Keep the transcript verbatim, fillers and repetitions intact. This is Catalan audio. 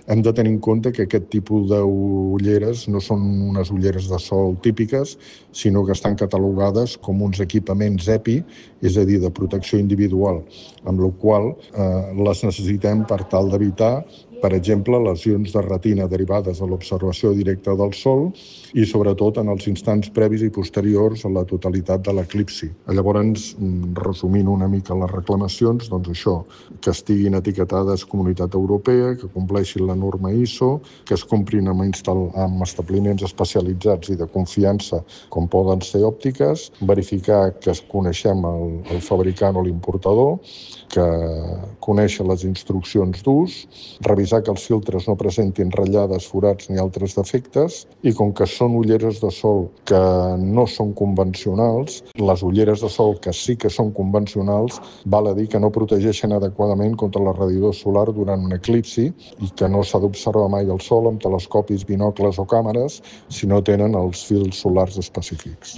Hem de tenir en compte que aquest tipus d'ulleres no són unes ulleres de sol típiques, sinó que estan catalogades com uns equipaments E P I, és a dir, de protecció individual, amb la qual eh, les necessitem per tal d'evitar, per exemple, lesions de retina derivades de l'observació directa del sol i, sobretot, en els instants previs i posteriors a la totalitat de l'eclipsi. Llavors, resumint una mica les reclamacions, doncs això, que estiguin etiquetades Comunitat Europea, que compleixin la norma I S O, que es comprin amb, instal·, amb establiments especialitzats i de confiança, com poden ser òptiques, verificar que coneixem el, el fabricant o l'importador, que coneixen les instruccions d'ús, revisar que els filtres no presentin ratllades, forats ni altres defectes, i com que són ulleres de sol que no són convencionals, les ulleres de sol que sí que són convencionals, val a dir que no protegeixen adequadament contra la radiació solar durant un eclipsi i que no s'ha d'observar mai el sol amb telescopis, binocles o càmeres si no tenen els fils solars específics.